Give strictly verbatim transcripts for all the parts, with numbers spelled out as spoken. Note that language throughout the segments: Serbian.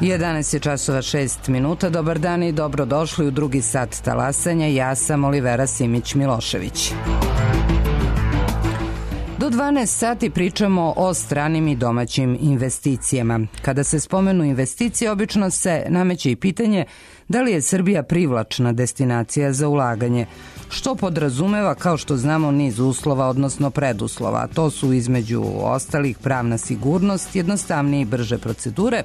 jedanaest je časova šest minuta. Dobar dan i dobrodošli u drugi sat talasanja. Ja sam Olivera Simić-Milošević. Do dvanaest sati pričamo o stranim i domaćim investicijama. Kada se spomenu investicije, obično se nameće i pitanje da li je Srbija privlačna destinacija za ulaganje, što podrazumeva, kao što znamo, niz uslova, odnosno preduslova. To su između ostalih pravna sigurnost, jednostavnije i brže procedure,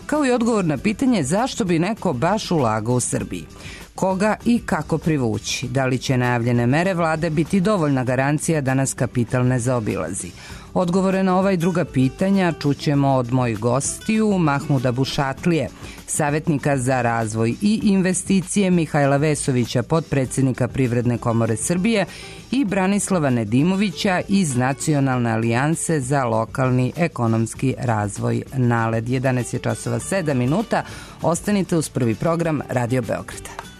kao i odgovor na pitanje zašto bi neko baš ulagao u Srbiji. Koga i kako privući? Da li će najavljene mere vlade biti dovoljna garancija da nas kapital ne zaobilazi? Odgovore na ova i druga pitanja čućemo od mojih gostiju Mahmuda Bušatlije, savjetnika za razvoj i investicije, Mihajla Vesovića, potpredsednika Privredne komore Srbije i Branislava Nedimovića iz Nacionalne alijanse za lokalni ekonomski razvoj NALED. jedanaest je časova sedam minuta. Ostanite uz prvi program Radio Beograda.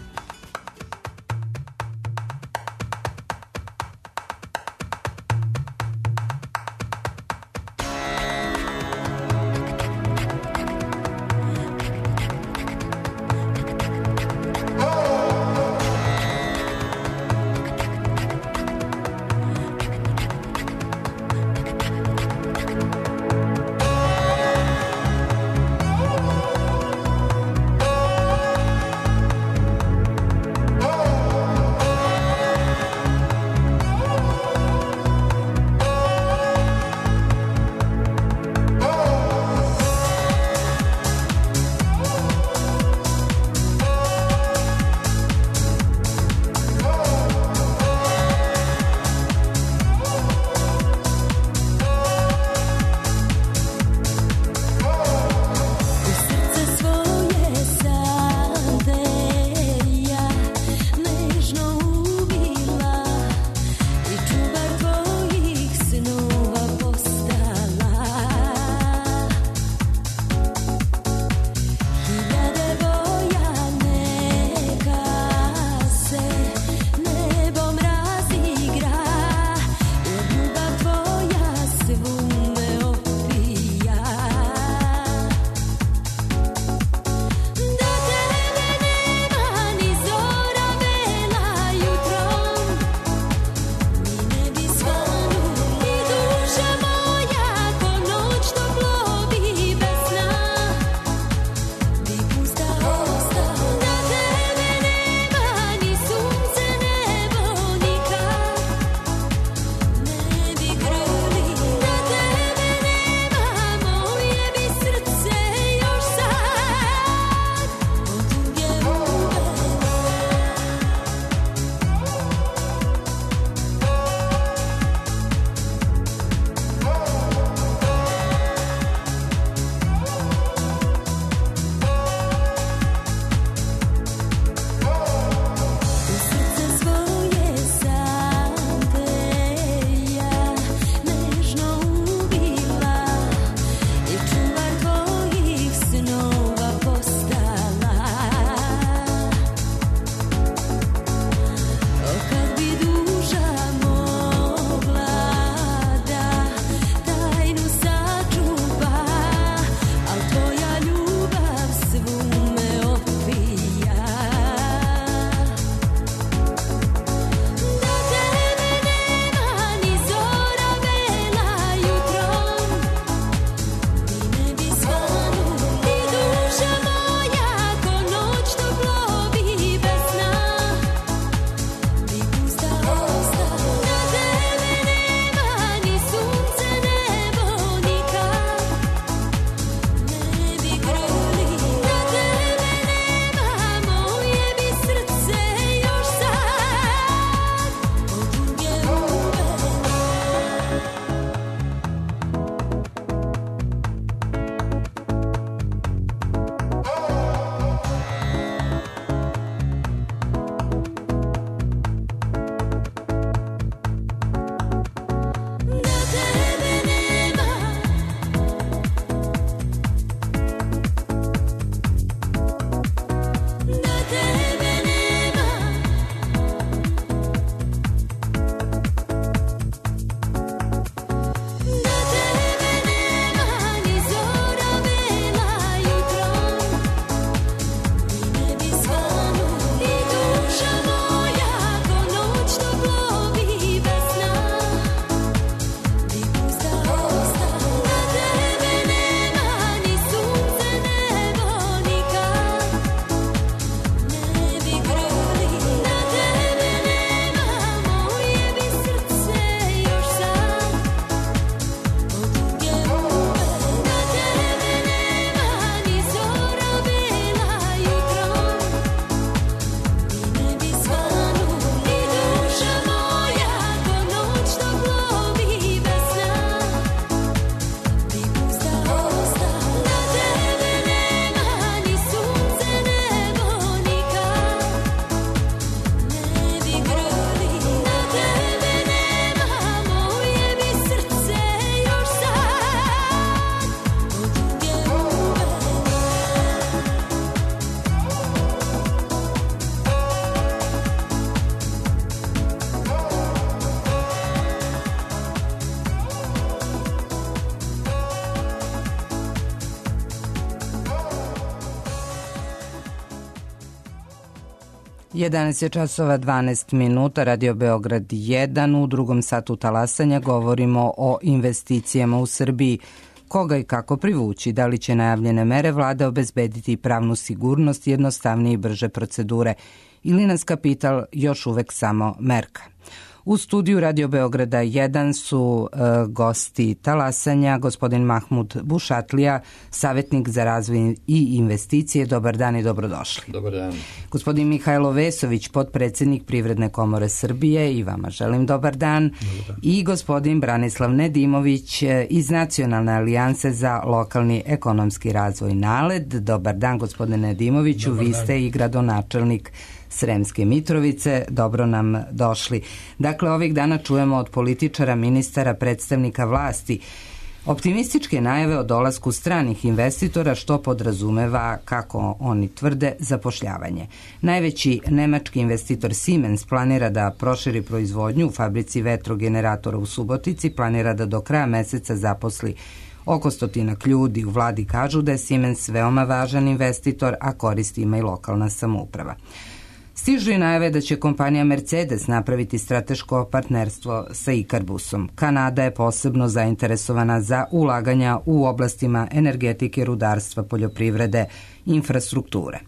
jedanaest je časova dvanaest minuta, Radio Beograd jedan. U drugom satu talasanja govorimo o investicijama u Srbiji. Koga i kako privući? Da li će najavljene mere vlade obezbediti pravnu sigurnost, jednostavnije i brže procedure? Ili nas kapital još uvek samo merka? U studiju Radio Beograda jedan su e, gosti talasanja, gospodin Mahmud Bušatlija, savjetnik za razvoj i investicije. Dobar dan i dobrodošli. Dobar dan. Gospodin Mihajlo Vesović, potpredsjednik Privredne komore Srbije, i vama želim dobar dan. Dobar dan. I gospodin Branislav Nedimović iz Nacionalne alijanse za lokalni ekonomski razvoj NALED. Dobar dan, gospodine Nedimoviću, dobar vi dan. Ste i gradonačelnik Sremske Mitrovice, dobro nam došli. Dakle, ovih dana čujemo od političara, ministara, predstavnika vlasti optimističke najave o dolasku stranih investitora, što podrazumeva, kako oni tvrde, zapošljavanje. Najveći nemački investitor Siemens planira da proširi proizvodnju u fabrici vetrogeneratora u Subotici, planira da do kraja meseca zaposli oko stotinak ljudi. U vladi kažu da je Siemens veoma važan investitor, a koristi ima i lokalna samouprava. Stižu i najave da će kompanija Mercedes napraviti strateško partnerstvo sa Ikarbusom. Kanada je posebno zainteresovana za ulaganja u oblastima energetike, rudarstva, poljoprivrede, infrastrukture.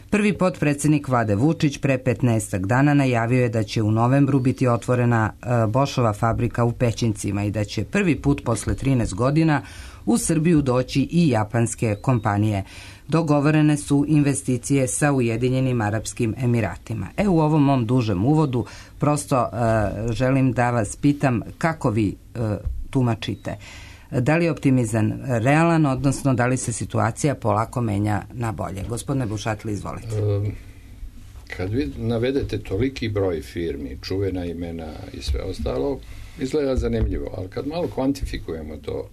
Prvi potpredsjednik vlade Vučić pre petnaestak dana najavio je da će u novembru biti otvorena Bošova fabrika u Pećincima i da će prvi put posle trinaest godina u Srbiju doći i japanske kompanije. Dogovorene su investicije sa Ujedinjenim Arapskim Emiratima. E, u ovom mom dužem uvodu prosto uh, želim da vas pitam kako vi uh, tumačite. Da li je optimizam realan, odnosno da li se situacija polako menja na bolje? Gospodine Bušatli, izvolite. Um, kad vi navedete toliki broj firmi, čuvena imena i sve ostalo, izgleda zanimljivo, ali kad malo kvantifikujemo to,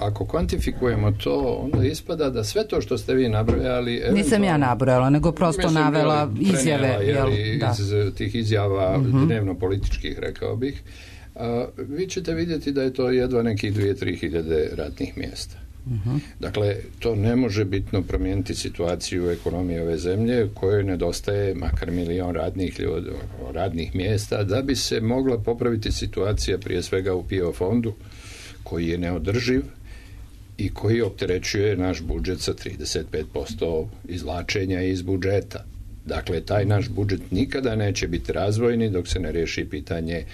ako kvantifikujemo to, onda ispada da sve to što ste vi nabrojali... Nisam ja nabrojala, nego prosto navela izjave. Jel, da. Iz tih izjava uh-huh. dnevno-političkih, rekao bih. A, vi ćete vidjeti da je to jedva nekih dvije do tri hiljade radnih mjesta. Uh-huh. Dakle, to ne može bitno promijeniti situaciju u ekonomiji ove zemlje, kojoj nedostaje makar milion radnih, ljudi, radnih mjesta, da bi se mogla popraviti situacija prije svega u P I O fondu, koji je neodrživ i koji opterećuje naš budžet sa trideset pet posto izvlačenja iz budžeta. Dakle, taj naš budžet nikada neće biti razvojni dok se ne riješi pitanje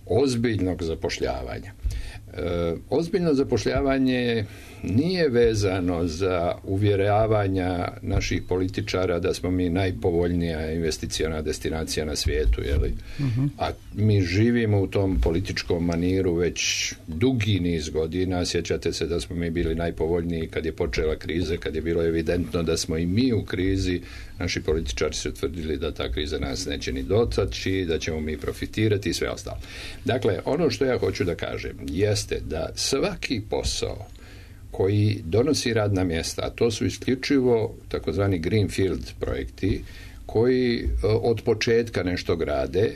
ozbiljnog zapošljavanja. E, ozbiljno zapošljavanje nije vezano za uvjeravanja naših političara da smo mi najpovoljnija investiciona destinacija na svijetu, jeli? Uh-huh. A mi živimo u tom političkom maniru već dugi niz godina. Sjećate se da smo mi bili najpovoljniji kad je počela kriza, kad je bilo evidentno da smo i mi u krizi. Naši političari su tvrdili da ta kriza nas neće ni dotaći, da ćemo mi profitirati i sve ostalo. Dakle, ono što ja hoću da kažem jeste da svaki posao koji donosi radna mjesta, a to su isključivo takozvani greenfield projekti, koji od početka nešto grade,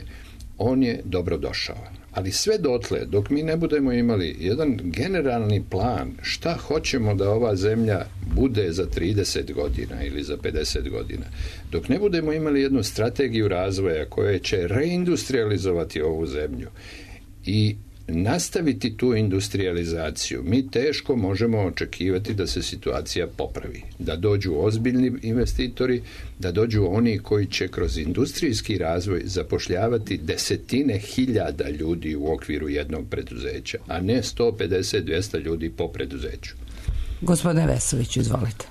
on je dobro došao. Ali sve dotle, dok mi ne budemo imali jedan generalni plan šta hoćemo da ova zemlja bude za trideset godina ili za pedeset godina, dok ne budemo imali jednu strategiju razvoja koja će reindustrializovati ovu zemlju i nastaviti tu industrializaciju, mi teško možemo očekivati da se situacija popravi, da dođu ozbiljni investitori, da dođu oni koji će kroz industrijski razvoj zapošljavati desetine hiljada ljudi u okviru jednog preduzeća, a ne sto pedeset do dvjesto ljudi po preduzeću. Gospodine Vesović, izvolite.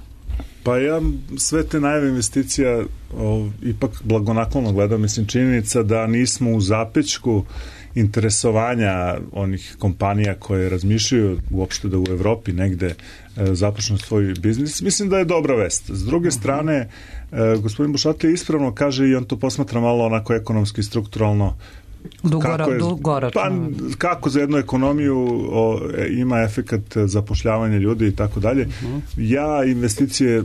Pa ja sve te najave investicija o, ipak blagonaklono gledam, mislim činjenica da nismo u zapećku interesovanja onih kompanija koje razmišljaju uopšte da u Evropi negde e, započnu svoj biznis, mislim da je dobra vest. S druge strane, e, gospodin Bušatlija ispravno kaže i on to posmatra malo onako ekonomski, strukturalno, kako, je, pa, kako za jednu ekonomiju o, ima efekat zapošljavanja ljudi i tako dalje. Ja investicije e,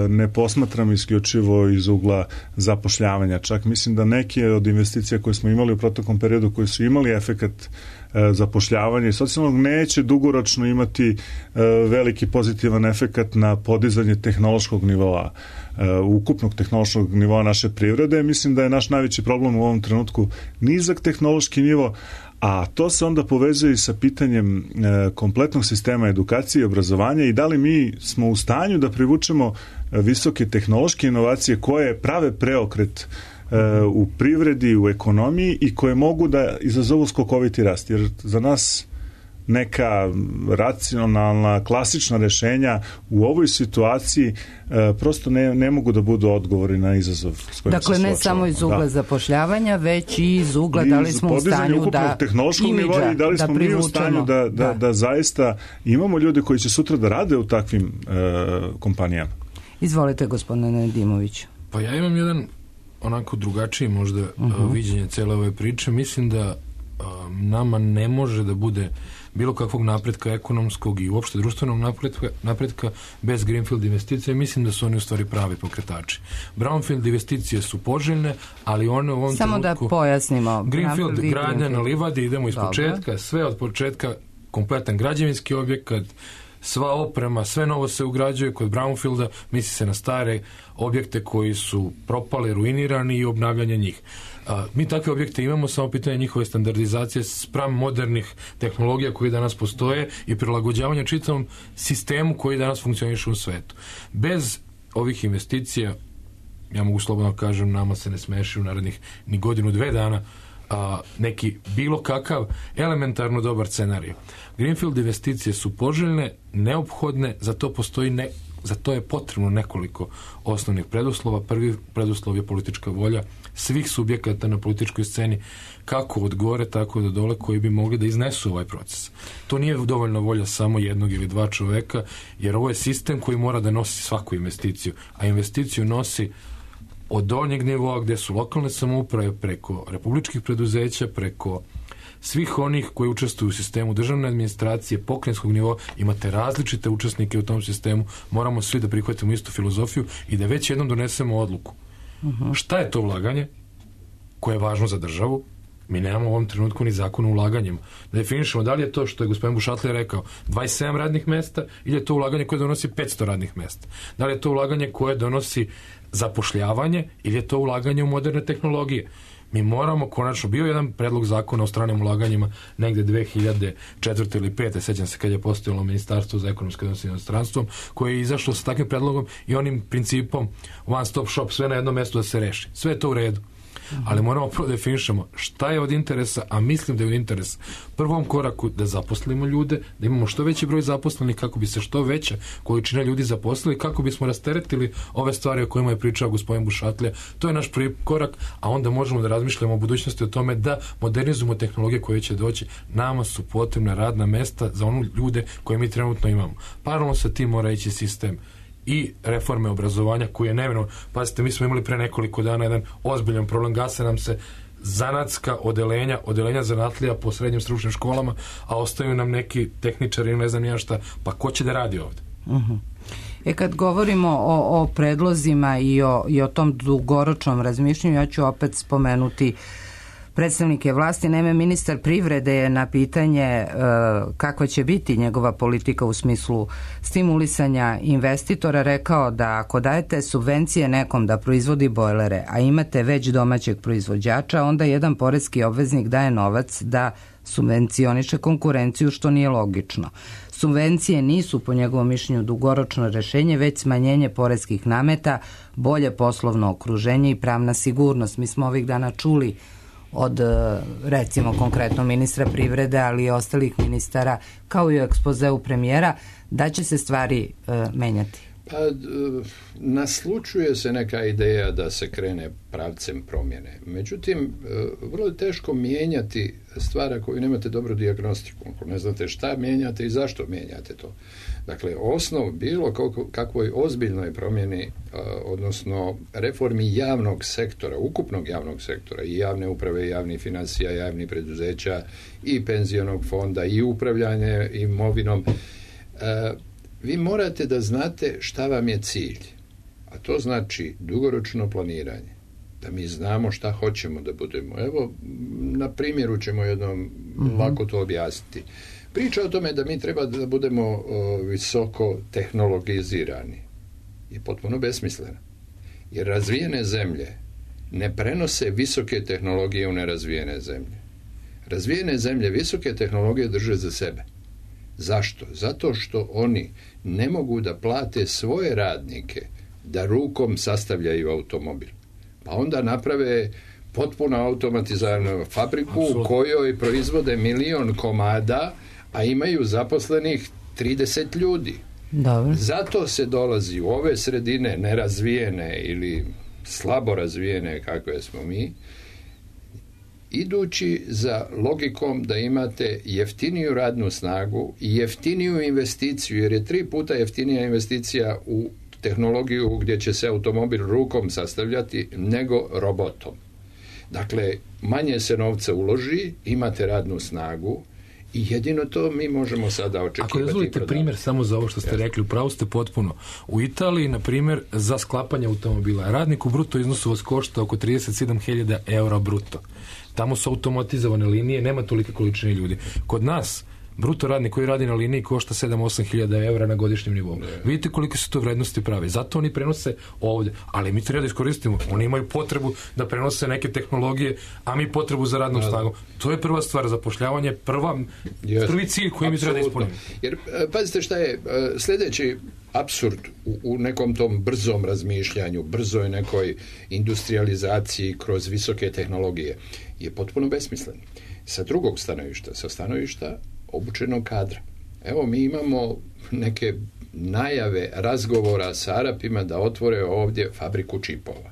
ne posmatram isključivo iz ugla zapošljavanja. Čak mislim da neke od investicija koje smo imali u proteklom periodu, koji su imali efekat zapošljavanja i socijalnog, neće dugoročno imati veliki pozitivan efekat na podizanje tehnološkog nivoa, ukupnog tehnološkog nivoa naše privrede. Mislim da je naš najveći problem u ovom trenutku nizak tehnološki nivo, a to se onda povezuje i sa pitanjem e, kompletnog sistema edukacije i obrazovanja i da li mi smo u stanju da privučemo visoke tehnološke inovacije koje prave preokret e, u privredi, u ekonomiji i koje mogu da izazovu skokoviti rast. Jer za nas neka racionalna, klasična rešenja u ovoj situaciji e, prosto ne, ne mogu da budu odgovori na izazov s kojim dakle, se ne suočavamo. Samo iz ugla da. zapošljavanja, već i iz ugla I da li smo u stanju da tehnološkog nivoa i da li smo mi u stanju da, da, da. da zaista imamo ljude koji će sutra da rade u takvim e, kompanijama. Izvolite, gospodine Dimović. Pa ja imam jedan onako drugačiji možda uh-huh. viđenje cele ove priče. Mislim da um, nama ne može da bude bilo kakvog napretka ekonomskog i uopšte društvenog napretka, napretka bez greenfield investicije. Mislim da su oni u stvari pravi pokretači. Brownfield investicije su poželjne, ali one u ovom Samo trenutku... da pojasnimo. Greenfield, gradnja na livadi, idemo iz Dobre. početka, sve od početka, kompletan građevinski objekat, sva oprema, sve novo se ugrađuje. Kod Brownfielda misli se na stare objekte koji su propali, ruinirani i obnavljanje njih. A, mi takve objekte imamo, samo pitanje njihove standardizacije spram modernih tehnologija koji danas postoje i prilagođavanja čitavom sistemu koji danas funkcioniše u svetu. Bez ovih investicija, ja mogu slobodno kažem, nama se ne smeši u narednih ni godinu, dve dana a, neki bilo kakav elementarno dobar scenarij. Greenfield investicije su poželjne, neophodne, za to postoji ne, za to je potrebno nekoliko osnovnih preduslova. Prvi preduslov je politička volja svih subjekata na političkoj sceni, kako od gore, tako do dole, koji bi mogli da iznesu ovaj proces. To nije dovoljna volja samo jednog ili dva čoveka, jer ovo je sistem koji mora da nosi svaku investiciju, a investiciju nosi od donjeg nivoa gde su lokalne samouprave, preko republičkih preduzeća, preko svih onih koji učestvuju u sistemu državne administracije, pokrajinskog nivoa. Imate različite učesnike u tom sistemu, moramo svi da prihvatimo istu filozofiju i da već jednom donesemo odluku. Uh-huh. Šta je to ulaganje koje je važno za državu? Mi nemamo u ovom trenutku ni zakon o ulaganjima. Da definišemo da li je to što je gospodin Bušatlija rekao dvadeset sedam radnih mesta ili je to ulaganje koje donosi petsto radnih mesta. Da li je to ulaganje koje donosi zapošljavanje ili je to ulaganje u moderne tehnologije. Mi moramo, konačno, bio jedan predlog zakona o stranim ulaganjima negde dve hiljade četvrte ili pete, sećam se kad je postojalo Ministarstvo za ekonomske odnose s inostranstvom, koje je izašlo sa takvim predlogom i onim principom one stop shop, sve na jednom mjestu da se reši. Sve je to u redu. Ali moramo prvo definišemo šta je od interesa, a mislim da je od interesa prvom koraku da zaposlimo ljude, da imamo što veći broj zaposlenih kako bi se što veća količina ljudi zaposlili, kako bismo rasteretili ove stvari o kojima je pričao gospodin Bušatlija. To je naš prvi korak, a onda možemo da razmišljamo o budućnosti, o tome da modernizujemo tehnologije koje će doći. Nama su potrebna radna mesta za onu ljude koje mi trenutno imamo. Paralelno sa tim mora ići sistem i reforme obrazovanja koji je nevinovno. Pazite, mi smo imali pre nekoliko dana jedan ozbiljan problem, gase nam se zanatska odelenja, odelenja zanatlija po srednjim stručnim školama, a ostaju nam neki tehničari ili ne znam ja šta, pa ko će da radi ovde? Uh-huh. E kad govorimo o, o predlozima i o, i o tom dugoročnom razmišljanju, ja ću opet spomenuti predstavnike vlasti. Naime, ministar privrede je na pitanje e, kakva će biti njegova politika u smislu stimulisanja investitora rekao da ako dajete subvencije nekom da proizvodi bojlere, a imate već domaćeg proizvođača, onda jedan poreski obveznik daje novac da subvencioniše konkurenciju, što nije logično. Subvencije nisu po njegovom mišljenju dugoročno rešenje, već smanjenje poreskih nameta, bolje poslovno okruženje i pravna sigurnost. Mi smo ovih dana čuli od, recimo, konkretno ministra privrede, ali i ostalih ministara, kao i u ekspozeu premijera, da će se stvari e, menjati. Pa, naslučuje se neka ideja da se krene pravcem promjene. Međutim, vrlo je teško mijenjati stvari ako nemate dobru dijagnostiku, ako ne znate šta mijenjate i zašto mijenjate to. Dakle, osnov bilo kakvoj ozbiljnoj promjeni, odnosno reformi javnog sektora, ukupnog javnog sektora, i javne uprave, i javnih financija, javnih preduzeća, i penzionog fonda, i upravljanje imovinom, vi morate da znate šta vam je cilj. A to znači dugoročno planiranje. da mi znamo šta hoćemo da budemo. Evo, na primjeru ćemo jednom mm-hmm. lako to objasniti. Priča o tome da mi treba da budemo o, visoko tehnologizirani je potpuno besmislena. Jer razvijene zemlje ne prenose visoke tehnologije u nerazvijene zemlje. Razvijene zemlje visoke tehnologije drže za sebe. Zašto? Zato što oni ne mogu da plate svoje radnike da rukom sastavljaju automobil. Pa onda naprave potpuno automatiziranu fabriku u kojoj proizvode milion komada, a imaju zaposlenih trideset ljudi. Dobro. Zato se dolazi u ove sredine nerazvijene ili slabo razvijene kakve smo mi, idući za logikom da imate jeftiniju radnu snagu i jeftiniju investiciju, jer je tri puta jeftinija investicija u tehnologiju gdje će se automobil rukom sastavljati nego robotom. Dakle, manje se novca uloži, imate radnu snagu i jedino to mi možemo sada očekivati. Ako dozvolite primjer samo za ovo što ste Jasne. rekli, upravo ste potpuno. U Italiji, na primjer, za sklapanje automobila radnik u bruto iznosu vas košta oko trideset sedam hiljada eura bruto. Tamo su automatizovane linije, nema tolike količine ljudi. Kod nas, bruto radnik koji radi na liniji košta sedam do osam hiljada eura na godišnjem nivou. Ne. Vidite koliko su to vrednosti prave. Zato oni prenose ovdje. Ali mi treba da iskoristimo. Oni imaju potrebu da prenose neke tehnologije, a mi potrebu za radnom snagom. To je prva stvar, zapošljavanje, prva, yes. prvi cilj koji mi treba da ispunimo. Jer, pazite šta je, sljedeći apsurd u, u nekom tom brzom razmišljanju, brzoj nekoj industrializaciji kroz visoke tehnologije je potpuno besmislen. Sa drugog stanovišta, sa stanovišta obučenog kadra. Evo, mi imamo neke najave razgovora sa Arapima da otvore ovdje fabriku čipova.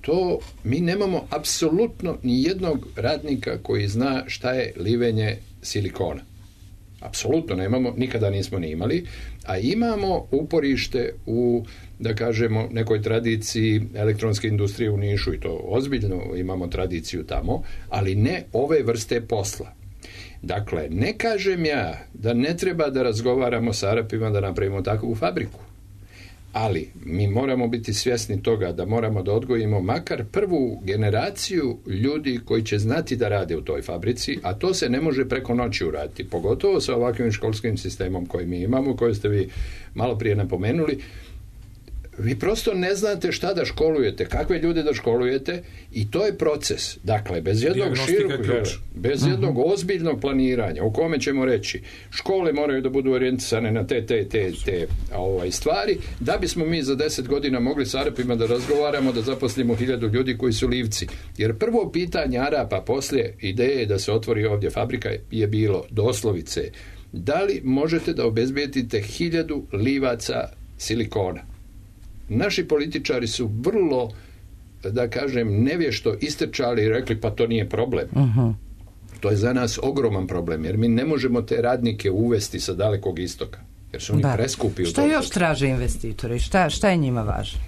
To mi nemamo apsolutno ni jednog radnika koji zna šta je livenje silikona. Apsolutno nemamo, nikada nismo ni imali, a imamo uporište u, da kažemo, nekoj tradiciji elektronske industrije u Nišu i to ozbiljno imamo tradiciju tamo, ali ne ove vrste posla. Dakle, ne kažem ja da ne treba da razgovaramo sa Arapima da napravimo takvu fabriku, ali mi moramo biti svjesni toga da moramo da odgojimo makar prvu generaciju ljudi koji će znati da rade u toj fabrici, a to se ne može preko noći uraditi, pogotovo sa ovakvim školskim sistemom koji mi imamo, koji ste vi malo prije napomenuli. Vi prosto ne znate šta da školujete, kakve ljude da školujete i to je proces. Dakle, bez jednog širokog, bez uh-huh. jednog ozbiljnog planiranja u kome ćemo reći škole moraju da budu orijentisane na te, te, te, te ovaj, stvari, da bismo mi za deset godina mogli s Arapima da razgovaramo, da zaposlimo hiljadu ljudi koji su livci. Jer prvo pitanje Arapa poslije ideje da se otvori ovdje fabrika je bilo doslovice: da li možete da obezbijedite hiljadu livaca silikona? Naši političari su vrlo, da kažem, nevješto istrčali i rekli pa to nije problem. Uh-huh. To je za nas ogroman problem, jer mi ne možemo te radnike uvesti sa dalekog istoka, jer su oni da. preskupi. Šta još toga. traže investitori? Šta, šta je njima važno?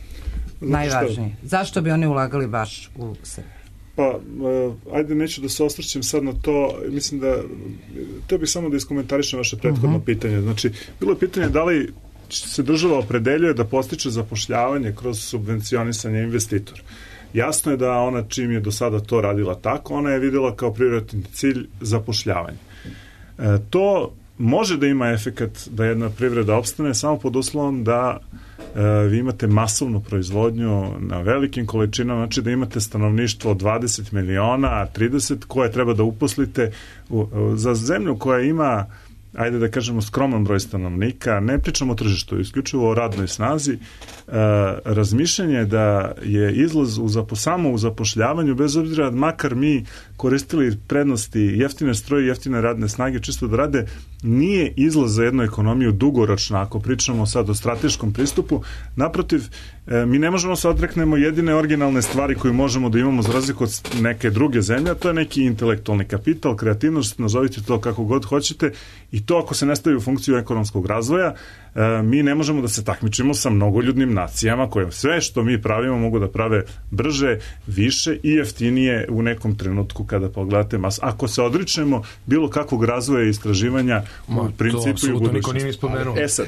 Znači, najvažnije. Šta? Zašto bi oni ulagali baš u Srbiju? Pa, ajde, neću da se osvrćem sad na to. Mislim da, to bih samo da iskomentarišem vaše prethodno uh-huh. pitanje. Znači, bilo je pitanje da li se država opredeljuje da postiče zapošljavanje kroz subvencionisanje investitora. Jasno je da ona, čim je do sada to radila tako, ona je vidjela kao prioritetni cilj zapošljavanje. E, to može da ima efekat da jedna privreda opstane samo pod uslovom da e, vi imate masovnu proizvodnju na velikim količinama, znači da imate stanovništvo od dvadeset miliona, trideset koje treba da uposlite u, u, za zemlju koja ima, ajde da kažemo, skroman broj stanovnika, ne pričamo o tržištu, isključivo o radnoj snazi, e, razmišljanje da je izlaz u zapo, samo u zapošljavanju, bez obzira makar mi koristili prednosti jeftine stroje, jeftine radne snage, čisto da rade, nije izlaz za jednu ekonomiju dugoročno, ako pričamo sad o strateškom pristupu. Naprotiv, e, mi ne možemo se odreknemo jedine originalne stvari koju možemo da imamo za razliku od neke druge zemlje, a to je neki intelektualni kapital, kreativnost, nazovite to kako god hoćete, i to ako se ne stavi u funkciju ekonomskog razvoja, e, mi ne možemo da se takmičimo sa mnogoljudnim nacijama koje sve što mi pravimo mogu da prave brže, više i jeftinije u nekom trenutku kada pogledate mas. Ako se odričemo bilo kakvog razvoja i istraživanja Ma, u principu i u budućnosti. Niko nije spomenuo. E sad,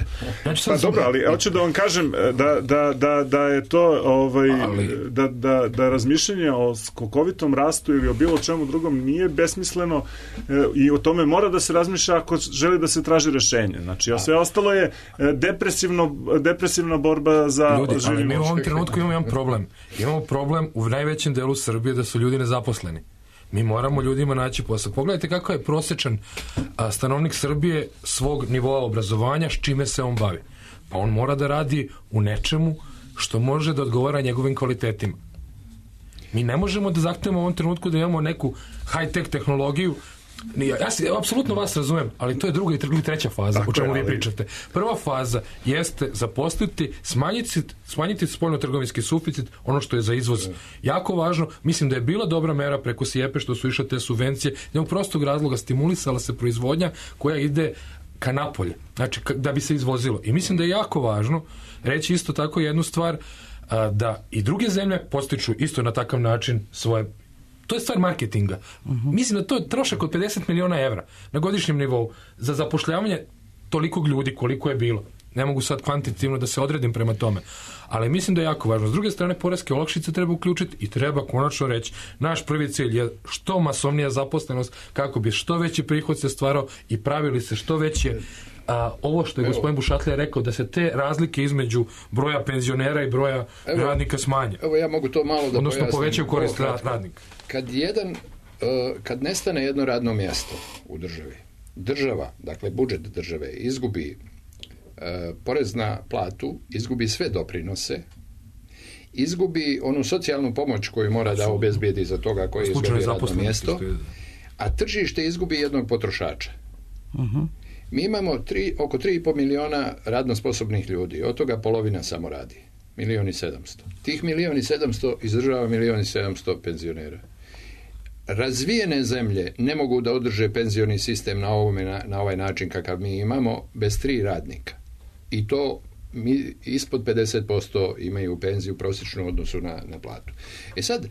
pa dobro, ali hoću da vam kažem da, da, da da je to ovaj, Ali... da, da, da razmišljanje o skokovitom rastu ili o bilo čemu drugom nije besmisleno e, i o tome mora da se razmišlja ako želi da se traži rešenje. Znači, a sve ostalo je depresivno, depresivna borba za ljudi, življenje. Ali mi u ovom trenutku imamo jedan problem. Imamo problem u najvećem delu Srbije da su ljudi nezaposleni. Mi moramo ljudima naći posao. Pogledajte kako je prosječan a, stanovnik Srbije svog nivoa obrazovanja, s čime se on bavi. Pa on mora da radi u nečemu što može da odgovara njegovim kvalitetima. Mi ne možemo da zahtevamo u ovom trenutku da imamo neku high-tech tehnologiju. Ja, ja, ja apsolutno vas razumem, ali to je druga i treća faza, tako o čemu je, vi pričate. Prva faza jeste zaposliti, smanjiti, smanjiti spoljno-trgovinski suficit, ono što je za izvoz jako važno. Mislim da je bila dobra mera preko SIEPE što su išle te subvencije, jednog prostog razloga stimulisala se proizvodnja koja ide ka napolje, znači da bi se izvozilo. I mislim da je jako važno reći isto tako jednu stvar, da i druge zemlje postiču isto na takav način svoje. To je stvar marketinga. Uh-huh. Mislim da to je trošak od pedeset miliona evra na godišnjem nivou za zapošljavanje tolikog ljudi koliko je bilo. Ne mogu sad kvantitativno da se odredim prema tome. Ali mislim da je jako važno. S druge strane, poreske olakšice treba uključiti i treba konačno reći, naš prvi cilj je što masovnija zaposlenost, kako bi što veći prihod se stvarao i pravili se što veće a, ovo što je evo, gospodin Bušatlija rekao, da se te razlike između broja penzionera i broja evo, radnika smanje. Evo ja mogu to malo da odnosno pojasnim. Povećaju korist radnika. Kad jedan, kad nestane jedno radno mjesto u državi, država, dakle budžet države, izgubi porez na platu, izgubi sve doprinose, izgubi onu socijalnu pomoć koju mora da obezbijedi za toga koji je izgubio radno mjesto, a tržište izgubi jednog potrošača. Uh-huh. Mi imamo tri, oko tri i pol miliona radno sposobnih ljudi, od toga polovina samo radi. Milijon i sedamsto. Tih milijon i sedamsto izdržava milijon i sedamsto penzionera. Razvijene zemlje ne mogu da održe penzioni sistem na, ovome, na, na ovaj način kakav mi imamo bez tri radnika. I to mi ispod pedeset posto imaju penziju prosječnu odnosu na, na platu. E sad,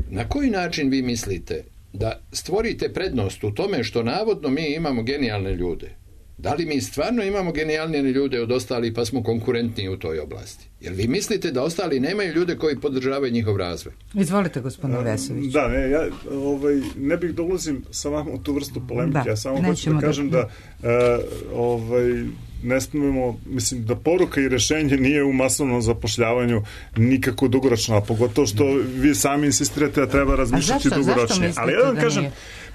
na koji način vi mislite da stvorite prednost u tome što navodno mi imamo genijalne ljude? Da li mi stvarno imamo genijalnije ljude od ostalih pa smo konkurentniji u toj oblasti? Jer vi mislite da ostali nemaju ljude koji podržavaju njihov razvoj? Izvolite, gospodine Vesović. Da, ne, ja ovaj, ne bih da ulazim sa vama u tu vrstu polemike. Da, ja samo hoću da kažem da, da uh, ovaj, ne smemo, mislim da poruka i rešenje nije u masovnom zapošljavanju nikako dugoročno, a pogotovo što vi sami insistirate da treba razmišljati dugoročnije. Ali ja vam kažem,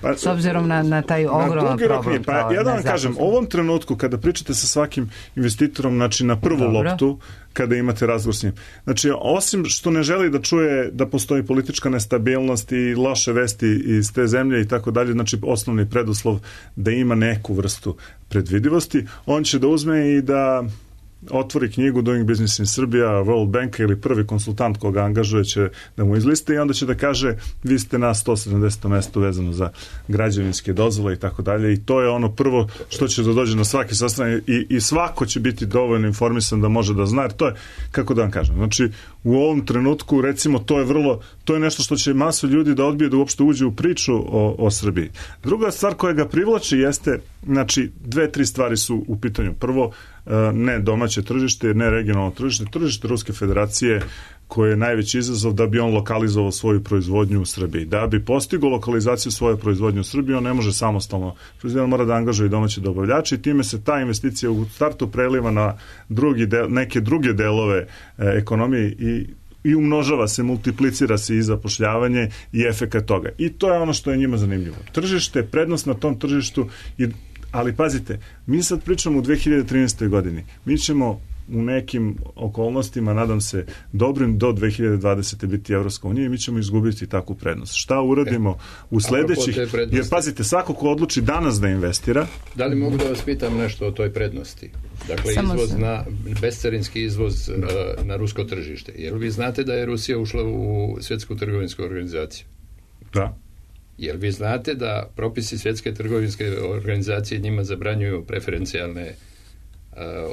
pa, s obzirom na, na taj ogroman problem. Pa ja da vam kažem, u ovom trenutku kada pričate sa svakim investitorom, znači na prvu Dobro. loptu, kada imate razgovor s njim. Znači, osim što ne želi da čuje da postoji politička nestabilnost i loše vesti iz te zemlje i tako dalje, znači osnovni preduslov da ima neku vrstu predvidivosti, on će da uzme i da otvori knjigu Doing Business in Serbia, World Banka ili prvi konsultant koga angažuje će da mu izliste i onda će da kaže vi ste na sto sedamdesetom mestu vezano za građevinske dozvole i tako dalje i to je ono prvo što će da dođe na svaki sastanak i, i svako će biti dovoljno informisan da može da zna, jer to je, kako da vam kažem, znači u ovom trenutku recimo to je vrlo, to je nešto što će masu ljudi da odbije da uopšte uđe u priču o, o Srbiji. Druga stvar koja ga privlači jeste, znači dve, tri stvari su u pitanju. Prvo, ne domaće tržište, ne regionalno tržište, tržište Ruske federacije koje je najveći izazov da bi on lokalizovao svoju proizvodnju u Srbiji. Da bi postigao lokalizaciju svoje proizvodnje u Srbiji, on ne može samostalno. On mora da angažuje domaće dobavljače i time se ta investicija u startu preliva na drugi del, neke druge delove e, ekonomije i i umnožava se, multiplicira se i zapošljavanje i efekat toga. I to je ono što je njima zanimljivo. Tržište, prednost na tom tržištu, i, ali pazite, mi sad pričamo u dve hiljade trinaestoj godini. Mi ćemo u nekim okolnostima, nadam se, dobrim do dve hiljade dvadesete biti Evropska unija i mi ćemo izgubiti takvu prednost. Šta uradimo u sledećih... Jer pazite, svako ko odluči danas da investira... Da li mogu da vas pitam nešto o toj prednosti? Dakle, Samo izvoz sam. na, bescarinski izvoz uh, na rusko tržište. Jer vi znate da je Rusija ušla u Svjetsku trgovinsku organizaciju? Da. Jer vi znate da propisi Svjetske trgovinske organizacije njima zabranjuju preferencijalne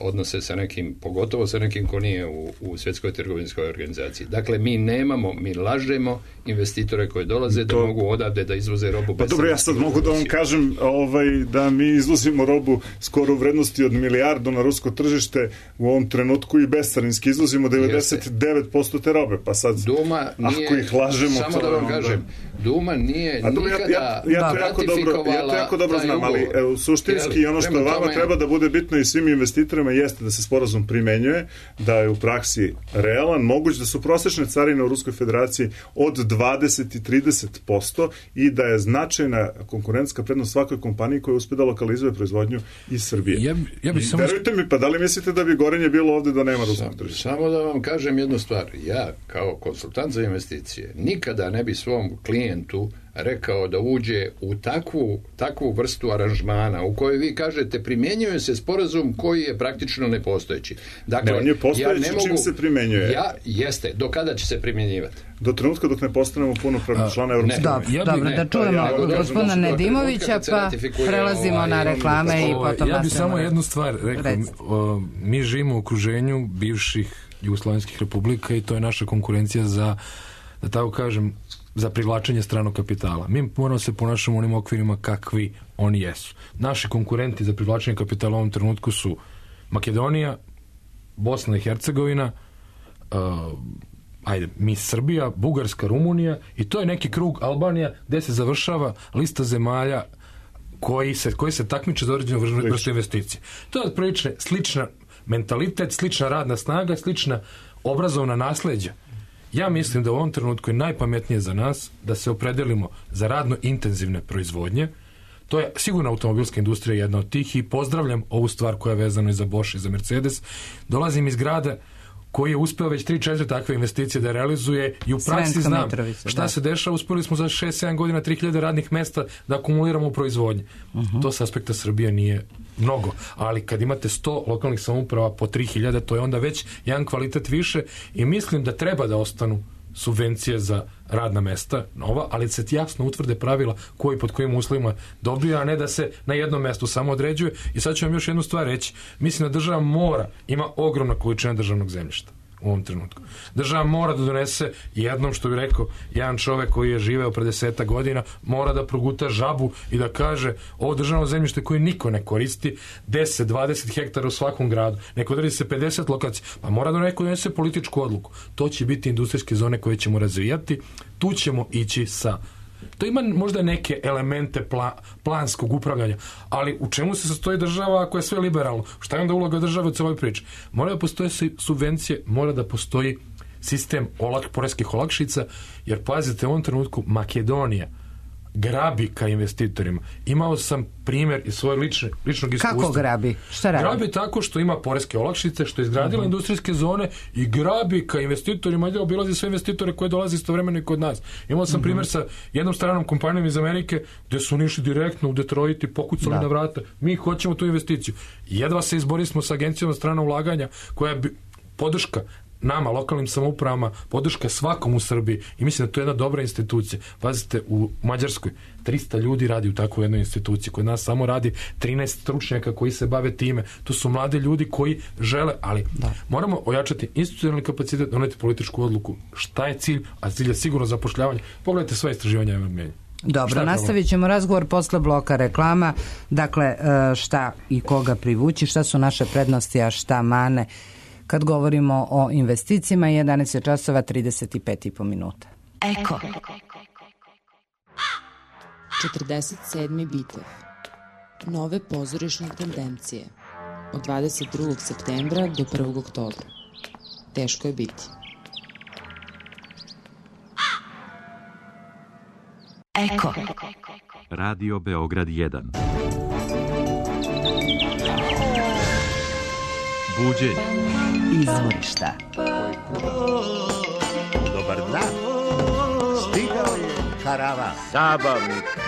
odnose sa nekim, pogotovo sa nekim ko nije u, u Svjetskoj trgovinskoj organizaciji. Dakle, mi nemamo, mi lažemo investitore koji dolaze to... da mogu odavde da izvoze robu. Pa dobro, ja sad mogu da vam kažem ovaj, da mi izvozimo robu skoro u vrednosti od milijardu na rusko tržište u ovom trenutku i bescarinski izvozimo devedeset devet posto te robe, pa sad Duma nije, ako ih lažemo... Samo da vam kažem, Duma nije A dobro, nikada ja, ja, ja, to jako dobro, ja to jako dobro znam, ali evo, suštinski i ono što vama tome... treba da bude bitno i svim investitorima jeste da se sporazum primenjuje, da je u praksi realan, moguć da su prosečne carine u Ruskoj federaciji od dvadeset i trideset posto i da je značajna konkurentska prednost svakoj kompaniji koja uspe da lokalizuje proizvodnju iz Srbije. Ja, ja bi I, samo... Verujte mi, pa da li mislite da bi gorenje bilo ovde da nema ruskog tržišta? Samo da vam kažem jednu stvar. Ja, kao konsultant za investicije, nikada ne bi svom klijentu rekao da uđe u takvu, takvu vrstu aranžmana u kojoj vi kažete primjenjuje se sporazum koji je praktično nepostojeći. Dakle, ne, on je postojeći, ja ne mogu, čim se primjenjuje. Ja, jeste. Do kada će se primjenjivati? Do trenutka dok ne postanemo punopravni član Evropske unije. Dobro, ja dobro, da čujemo ja, gospodina Nedimovića, pa prelazimo ovaj, na reklame i potom... Ja bih samo jednu stvar rekao. Mi živimo u okruženju bivših jugoslovenskih republika i to je naša konkurencija za, da tako kažem, za privlačenje stranog kapitala. Mi moramo se ponašati u onim okvirima kakvi oni jesu. Naši konkurenti za privlačenje kapitala u ovom trenutku su Makedonija, Bosna i Hercegovina, uh, ajde, mi Srbija, Bugarska, Rumunija i to je neki krug Albanija gde se završava lista zemalja koji se, koji se takmiče za određenu vrstu investicije. To je otprilike slična mentalitet, slična radna snaga, slična obrazovna nasleđa. Ja mislim da u ovom trenutku je najpametnije za nas da se opredelimo za radno intenzivne proizvodnje. To je sigurno automobilska industrija jedna od tih i pozdravljam ovu stvar koja je vezana i za Bosch i za Mercedes. Dolazim iz grada koji je uspeo već tri četiri takve investicije da realizuje i u praksi znam šta da. se dešava. Uspeli smo za šest sedam godina tri hiljade radnih mesta da akumuliramo u proizvodnji. Uh-huh. To s aspekta Srbije nije mnogo, ali kad imate sto lokalnih samouprava po tri hiljade, to je onda već jedan kvalitet više i mislim da treba da ostanu subvencije za radna mesta nova, ali se jasno utvrde pravila koji pod kojim uslovima dobija, a ne da se na jednom mestu samo određuje. I sad ću vam još jednu stvar reći. Mislim da država mora, ima ogromna količina državnog zemljišta u ovom trenutku. Država mora da donese jednom, što bi rekao jedan čovek koji je živeo pre deseta godina, mora da proguta žabu i da kaže ovo državno zemljište koje niko ne koristi, deset dvadeset hektara u svakom gradu, neko odredi se pedeset lokacija, pa mora da neko donese političku odluku. To će biti industrijske zone koje ćemo razvijati, tu ćemo ići sa... To ima možda neke elemente pla, planskog upravljanja, ali u čemu se sastoji država ako je sve liberalno? Šta je onda uloga države u celoj priči? Mora da postoje subvencije, mora da postoji sistem olak, poreskih olakšica, jer pazite, u ovom trenutku Makedonija grabi ka investitorima. Imao sam primjer iz svoje lične, ličnog iskustva. Kako grabi? Šta radi? Grabi tako što ima poreske olakšice, što je izgradila uh-huh. industrijske zone i grabi ka investitorima, ide obilazi sve investitore koji dolaze istovremeno i kod nas. Imao sam uh-huh. primjer sa jednom stranom kompanijom iz Amerike gde su oni išli direktno u Detroit i pokucali da. na vrata. Mi hoćemo tu investiciju. Jedva se izborili smo sa agencijom strana ulaganja koja je podrška nama, lokalnim samoupravama, podrška svakom u Srbiji i mislim da to je jedna dobra institucija. Pazite, u Mađarskoj trista ljudi radi u takvoj jednoj instituciji, kod nas samo radi trinaest stručnjaka koji se bave time. To su mladi ljudi koji žele, ali da. moramo ojačati institucionalni kapacitet, doneti političku odluku. Šta je cilj? A cilj je sigurno zapošljavanje. Pogledajte sva istraživanja javnog mnjenja. Dobro, nastavit ćemo razgovor posle bloka reklama. Dakle, šta i koga privući, šta su naše prednosti, a šta mane kad govorimo o investicijama. Jedanaest časova trideset pet i po minuta. Eko. četrdeset sedmi bitev. Nove pozorišne tendencije. Od dvadeset drugog septembra do prvog oktobra. Teško je biti. Eko. Radio Beograd jedan. Buđenje. Izvorišta. Dobar dan. Stigao je karavan. Zabavnik.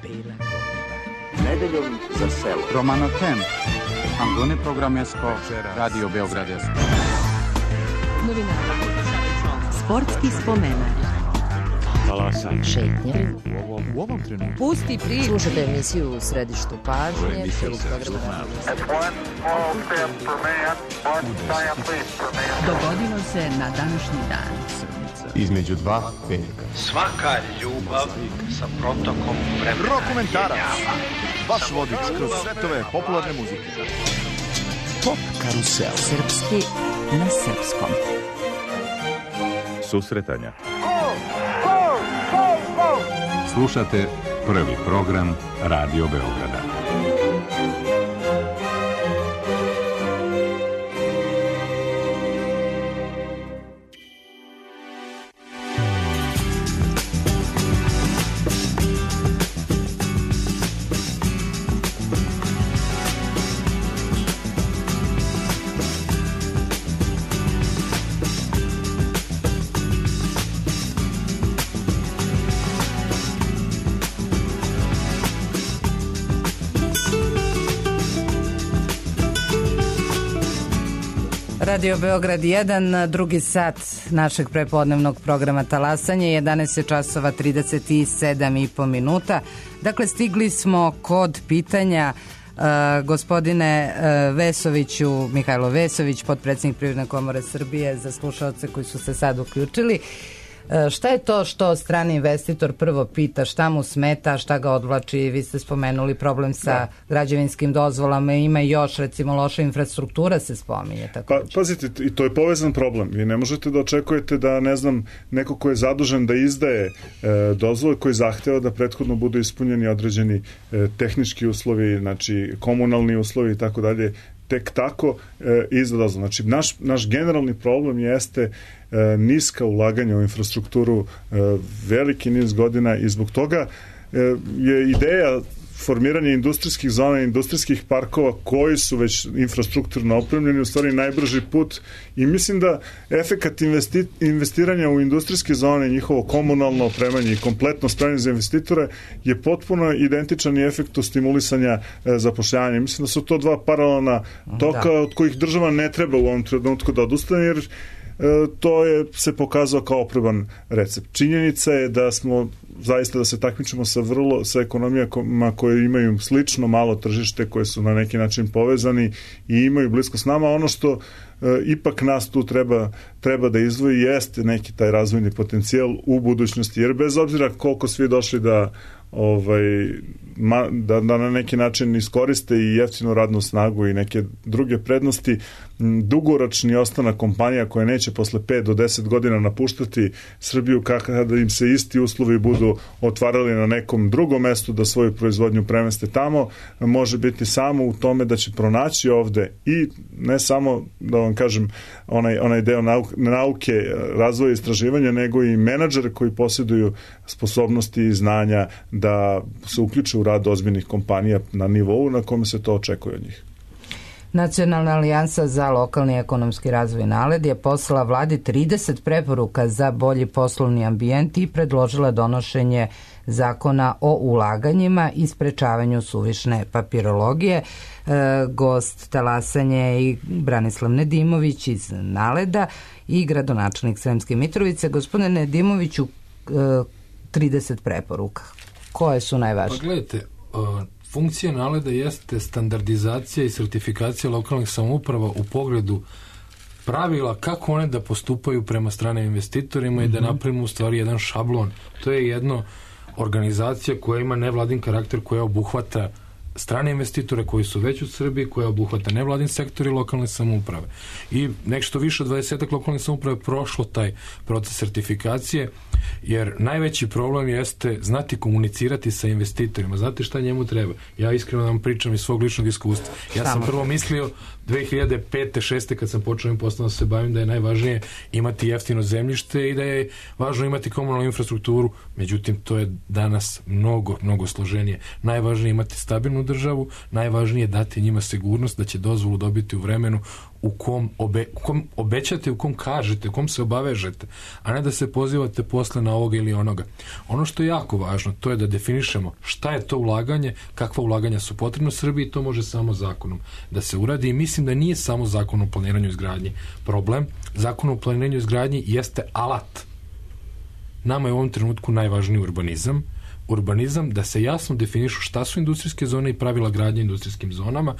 Bela godina. Nedeljom za selo. Romano Tem. Angone programesko. Radio Beogradesko. Novinara. Sportski spomenak. Talasanje. Šetnje. U ovom, u ovom trenutku. Pusti priču. Slušajte emisiju U središtu pažnje. Dogodilo se na današnji dan. Između dva petka. Svaka ljubav sa protokom vremena. Rokomentarac. Vaš vodič kroz svetove popularne muzike. Pop karusel. Srpski na srpskom. Susretanja. Slušate prvi program Radio Beograda. Radio Beograd jedan, drugi sat našeg prepodnevnog programa Talasanje, jedanaest časova trideset sedam i po minuta. Dakle, stigli smo kod pitanja uh, gospodine uh, Vesoviću, Mihajlo Vesović, potpredsjednik Privredne komore Srbije, za slušaoce koji su se sad uključili. Šta je to što strani investitor prvo pita, šta mu smeta, šta ga odvlači? Vi ste spomenuli problem sa da. građevinskim dozvolama, ima još, recimo, loša infrastruktura se spominje. Tako pa, pazite, i to je povezan problem. Vi ne možete da očekujete da, ne znam, neko ko je zadužen da izdaje e, dozvole, koji zahteva da prethodno budu ispunjeni određeni e, tehnički uslovi, znači komunalni uslovi i tako dalje, tek tako e, izda dozvole. Znači, naš, naš generalni problem jeste e, niska ulaganja u infrastrukturu e, veliki niz godina i zbog toga e, je ideja formiranje industrijskih zona, industrijskih parkova koji su već infrastrukturno opremljeni u stvari najbrži put i mislim da efekat investi, investiranja u industrijske zone, njihovo komunalno opremanje i kompletno spremanje za investitore je potpuno identičan i efektu stimulisanja e, zapošljavanja. Mislim da su to dva paralelna toka da. od kojih država ne treba u ovom trenutku da odustane, jer E, to je se pokazao kao oproban recept. Činjenica je da smo zaista da se takmičimo sa vrlo sa ekonomijama koje imaju slično malo tržište, koje su na neki način povezani i imaju blisko s nama. Ono što e, ipak nas tu treba, treba da izdvoji jeste neki taj razvojni potencijal u budućnosti, jer bez obzira koliko svi došli da ovaj ma, da, da na neki način iskoriste i jeftinu radnu snagu i neke druge prednosti, dugoročni ostanak kompanija koje neće posle pet do deset godina napuštati Srbiju kada im se isti uslovi budu otvarali na nekom drugom mestu da svoju proizvodnju premeste tamo, može biti samo u tome da će pronaći ovde i ne samo, da vam kažem, onaj, onaj deo nauke, nauke, razvoja i istraživanja, nego i menadžere koji posjeduju sposobnosti i znanja da se uključe u rad ozbiljnih kompanija na nivou na kome se to očekuje od njih. Nacionalna alijansa za lokalni ekonomski razvoj NALED je poslala vladi trideset preporuka za bolji poslovni ambijent i predložila donošenje zakona o ulaganjima i sprečavanju suvišne papirologije. E, gost Talasanje i Branislav Nedimović iz NALED-a i gradonačelnik Sremske Mitrovice. Gospodine Nedimoviću, e, trideset preporuka. Koje su najvažnije? Pa gledajte, uh, funkcija NALED-a jeste standardizacija i sertifikacija lokalnih samouprava u pogledu pravila kako one da postupaju prema stranim investitorima mm-hmm. i da napravimo u stvari jedan šablon. To je jedna organizacija koja ima nevladin karakter, koja obuhvata strane investitore koji su već u Srbiji, koja obuhvata nevladin sektor i lokalne samouprave. I nešto više od dvadesetak lokalnih samouprave prošlo taj proces sertifikacije, jer najveći problem jeste znati komunicirati sa investitorima. Znate šta njemu treba? Ja iskreno vam pričam iz svog ličnog iskustva. Ja sam prvo mislio dve hiljade pete šeste kad sam počeo ovim poslom da se bavim da je najvažnije imati jeftino zemljište i da je važno imati komunalnu infrastrukturu. Međutim, to je danas mnogo, mnogo složenije. Najvažnije je imati stabilnu državu, najvažnije je dati njima sigurnost da će dozvolu dobiti u vremenu u kom, obe, u kom obećate, u kom kažete, u kom se obavežete, a ne da se pozivate posle na ovoga ili onoga. Ono što je jako važno, to je da definišemo šta je to ulaganje, kakva ulaganja su potrebna Srbiji, to može samo zakonom da se uradi i mislim da nije samo zakon o planiranju izgradnji problem. Zakon o planiranju izgradnji jeste alat nama je u ovom trenutku najvažniji urbanizam, urbanizam, da se jasno definišu šta su industrijske zone i pravila gradnje industrijskim zonama.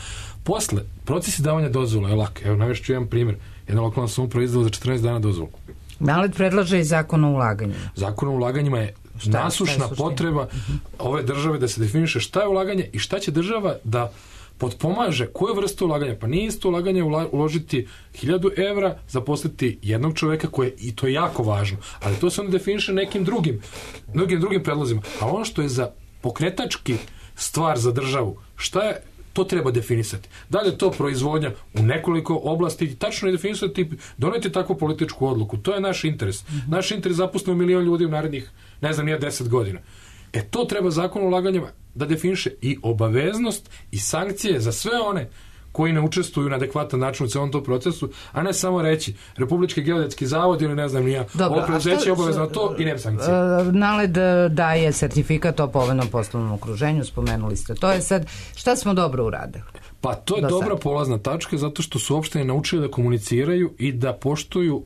Posle, proces izdavanja dozvola je lak. Evo, navešću jedan primjer. Jedna lokalna samouprava izdala za četrnaest dana dozvolu. Nalet predlaže i zakon o ulaganjima. Zakon o ulaganjima je šta, nasušna šta je potreba uh-huh. ove države da se definiše šta je ulaganje i šta će država da potpomaže koju vrstu ulaganja. Pa nije isto ulaganje uložiti hiljadu evra, zaposliti jednog čoveka koje, i to je jako važno, ali to se onda definiše nekim drugim, drugim, drugim predlozima. A ono što je za pokretački stvar za državu, šta je, to treba definisati. Da li je to proizvodnja u nekoliko oblasti, tačno je definisati, doneti takvu političku odluku. To je naš interes. Mm-hmm. Naš interes zaposlimo milion ljudi u narednih, ne znam, nije deset godina. E to treba zakon o ulaganjima da definiše i obaveznost i sankcije za sve one koji ne učestvuju na adekvatan način u celom tom procesu, a ne samo reći Republički geodetski zavod ili ne znam nija, ovo preuzeće je obavezno to i nema sankcije. Naled daje sertifikat o povoljnom poslovnom okruženju, spomenuli ste. To je sad, šta smo dobro uradili? Pa to je dobra polazna tačka zato što su opštine naučili da komuniciraju i da poštuju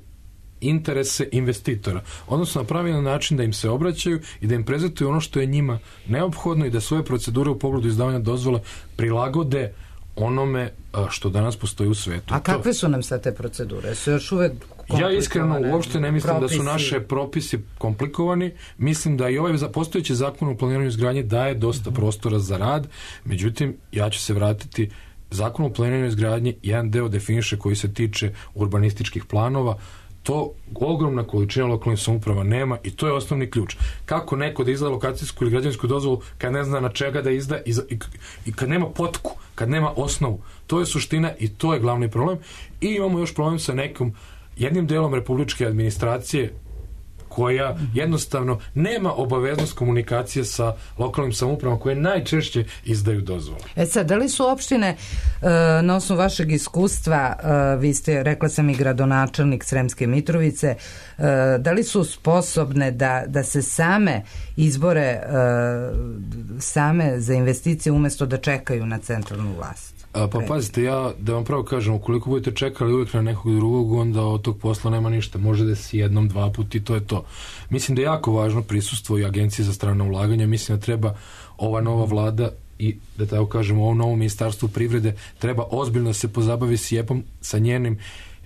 interese investitora. Odnosno na pravilan način da im se obraćaju i da im prezentuju ono što je njima neophodno i da svoje procedure u pogledu izdavanja dozvola prilagode onome što danas postoji u svetu. A kakve su nam sad te procedure? Su još uvek ja iskreno uopšte ne mislim propisi. Da su naše propisi komplikovani. Mislim da i ovaj postojeći zakon o planiranju izgradnje daje dosta prostora za rad. Međutim, ja ću se vratiti zakon o planiranju izgradnje, jedan deo definiše koji se tiče urbanističkih planova. To ogromna količina lokalnih samouprava nema i to je osnovni ključ. Kako neko da izda lokacijsku ili građevinsku dozvolu kad ne zna na čega da izda i, i, i kad nema potku, kad nema osnovu. To je suština i to je glavni problem. I imamo još problem sa nekom jednim delom republičke administracije koja jednostavno nema obaveznost komunikacije sa lokalnim samoupravama koje najčešće izdaju dozvole. E sad, da li su opštine, na osnovu vašeg iskustva, vi ste, rekla sam, i gradonačelnik Sremske Mitrovice, da li su sposobne da, da se same izbore same za investicije umjesto da čekaju na centralnu vlast? A, pa pazite, ja da vam pravo kažem, ukoliko budete čekali uvijek na nekog drugog, onda od tog posla nema ništa. Može da si jednom, dva puta i to je to. Mislim da je jako važno prisustvo i Agencije za strana ulaganja. Mislim da treba ova nova vlada i, da tako kažemo, ovo novo ministarstvo privrede treba ozbiljno se pozabavi s jepom, sa njenim